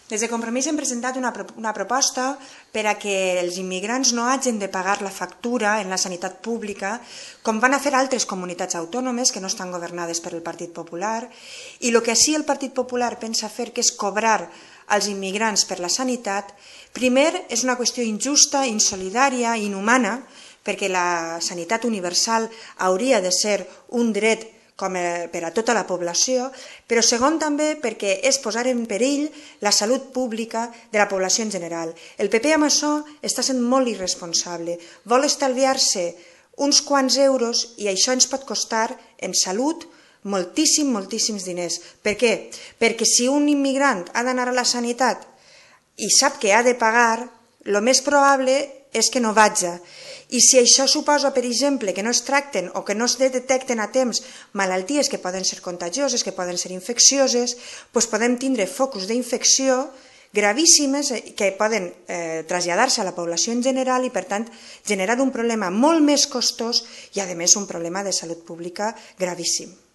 Des de Compromís hem presentat una proposta per a que els immigrants no hagin de pagar la factura en la sanitat pública, com van a fer altres comunitats autònomes que no estan governades per el Partit Popular, i el que sí el Partit Popular pensa fer, que és cobrar als immigrants per la sanitat, primer és una qüestió injusta, insolidària, inhumana, perquè la sanitat universal hauria de ser un dret com per a tota la població, però segon també perquè és posar en perill la salut pública de la població en general. El PP amb això està sent molt irresponsable, vol estalviar-se uns quants euros i això ens pot costar en salut moltíssims diners. Per què? Perquè si un immigrant ha d'anar a la sanitat i sap que ha de pagar, el més probable és que no vagi. I si això suposa, per exemple, que no es tracten o que no es detecten a temps malalties que poden ser contagioses, que poden ser infeccioses, doncs podem tindre focus d'infecció gravíssimes que poden traslladar-se a la població en general i, per tant, generar un problema molt més costós i, a més, un problema de salut pública gravíssim.